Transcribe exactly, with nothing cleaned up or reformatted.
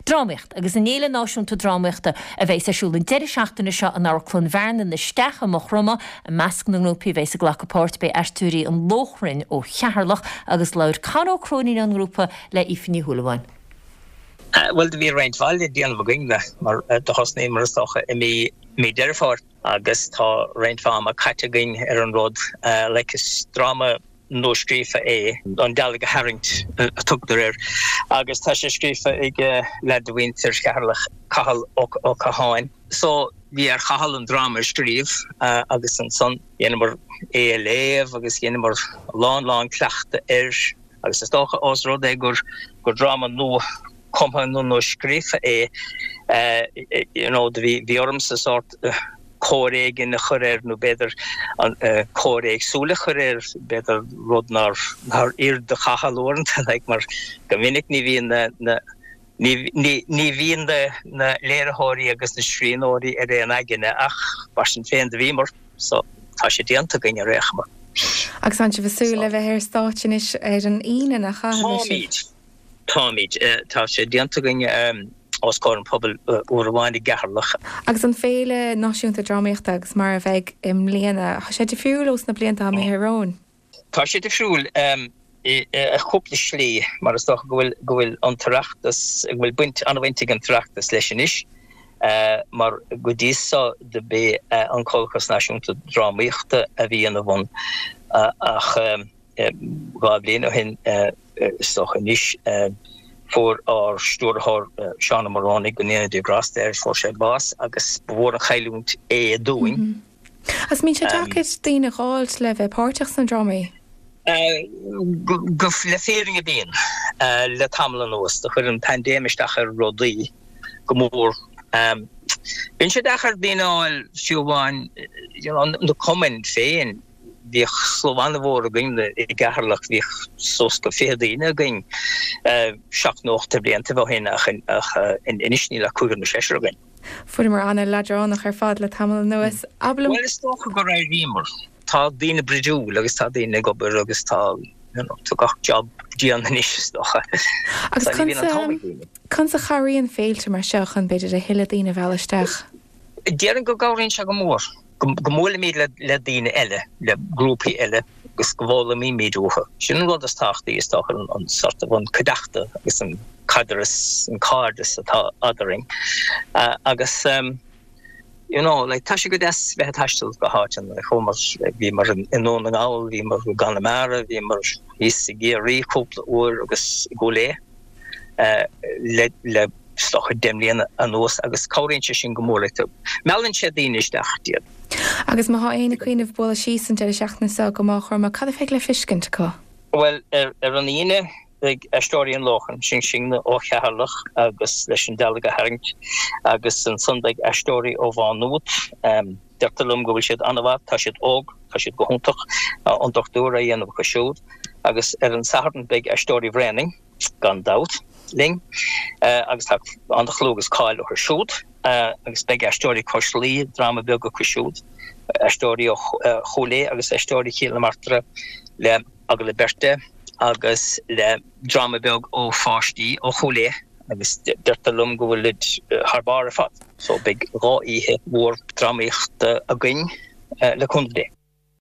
Drámaíocht agus an Fhéile Náisiúnta Drámaíochta a bheas ar siúl an deireadh seachtaine seo in Amharclann Bhearna na Sceach i Maigh Chromtha i measc na ngrúpaí a bheas ag glacadh páirt beidh Aisteoirí an Lóchrainn ó Cheatharlach agus labhair Con Ó Cróinín ón ngrúpa le Aoife Ní Shúilleabháin. Bhuel do bhí roinnt mhaith le déanamh againn le mar do thosnaíomar is dócha i mí mí Deireadh Fómhair agus tá roinnt mhaith ama caite againn ar an rud like is dráma nua-scríofa é an dealg a tharraingt a tugtar air agus tá sé scríofa ag leaid de mhuintir Cheatharlach Cathal Ó Catháin. So bhí ar Chathal an dráma a scríobh agus ansan dhéanamar é a léamh agus dhéanamar lán lán cleachtadh air agus is dócha ós rud é gur gur dráma nua cumtha nó nó scríofa é you know bhí bhí ormsa sort cóir éigin a chur air nó b'fhéidir an cóir éagsúil a chur air b'fhéidir rud nár nár oir do Chathal uaireanta like mar go minic ní bhíonn na na ní ní ní bhíonn na na léiritheoirí agus na scríbhneoirí ar aon aigne ach mar sin féin do bhíomar so tá sé déanta againn ar aon chuma. Agus an sibh ag súil le bheith ar stáitse anois ar an Aoine nach Táimid Táimid tá sé déanta againn um, os comhair an phobail uair amháin i gCeatharlach. Agus an féile náisiúnta drámaíochta agus mar a bheidh i mbliana, Tá sé difriúil ós na blianta imithe romhainn. Tá sé difriúil um, i cúpla slí mar is dócha go bhfuil go bhfuil an tOireachtas go bhfuil baint an-bhaint ag an tOireachtas leis anois uh, mar go dtí so do b'é uh, an Comhlachas Náisiúnta Drámaíochta a bhí ina bhun uh, ach um, dhá bhliain ó shin is dócha anois fuair ár stiúrthóir Seán Ó Móránaigh go ndéana Dia grásta air fuair sé bás agus ba mhór an chailliúint é dúinn. Mm -hmm. Agus mbíonn sé deacair daoine a fháil le bheith páirteach sna drámaí? Go le fírinne bíonn le tamall anuas do chuir an paindéim isteach ar rudaí go mór. Bíonn sé deacair daoine a fháil fiú amháin na cumainn féin bhíodh slua an-mhór againn i gCeatharlach bhíodh suas go fiche daoine againn seacht nó ocht blianta ó shin ach anois níl ach cúigear nó seisear againn. Fuaireamar an-leadránach ar fad le tamall anuas. Bhuel is dócha gur éiríomar. Tá daoine brúidiúil agus tá daoine ag obair agus tá you know, tá gach job dian anois is dócha. Agus conas a chabhraíonn féilte mar seo chun b'fhéidir a thuilleadh daoine a mhealladh isteach. Déarfainn go gcabhraíonn sé go mór. go mbuailimid le le daoine eile le grúpaí eile agus go bhfoghlaimímid uathu. Sin an rud is tábhachtaí is dócha an, an sort of an cuideachta agus an caidreamh an cairdeas atá eadrainn. Uh, agus um, you know, like, tá sé go deas bheith ag taisteal go háiteanna chuamar bhíomar i nDún na nGall, bhíomar i gConamara, bhíomar thíos i gCiarraí cúpla uair agus i gCúil Aodha uh, le le is dócha deich mbliana anuas agus cabhraíonn sé sin go mór le meallann sé daoine isteach iad. Agus má tá éinne ag cuimhneamh bualadh síos an deireadh seachtaine seo go Maigh Chromtha cad a bheidh le feiscint acu? Well ar, ar an Aoine beidh Aisteoirí an Lóchrainn sin sinne ó Cheatharlach agus leis an dealg a tharraingt agus ansan beidh aisteoirí ó Mhá Nuad um, deirtear liom go bhfuil siad an-mhaith, tá siad óg, tá siad go hiontach an dochtúir a dhéanamh acu siúd agus ar an Satharn beidh aisteoirí Bhréanainn gan dabht linn agus tá an-chlú agus cáil orthu siúd agus beidh aisteoirí Cois Laoi dráma beag acu siúd, aisteoirí ó Chúil Aodha agus aisteoirí Chill na Martra le agallamh beirte agus le dráma beag ó pháistí ó Chúil Aodha agus deirtear liom go bhfuil thar barr ar fad. So beidh dhá oíche mhór drámaíochta againn le cúnamh Dé.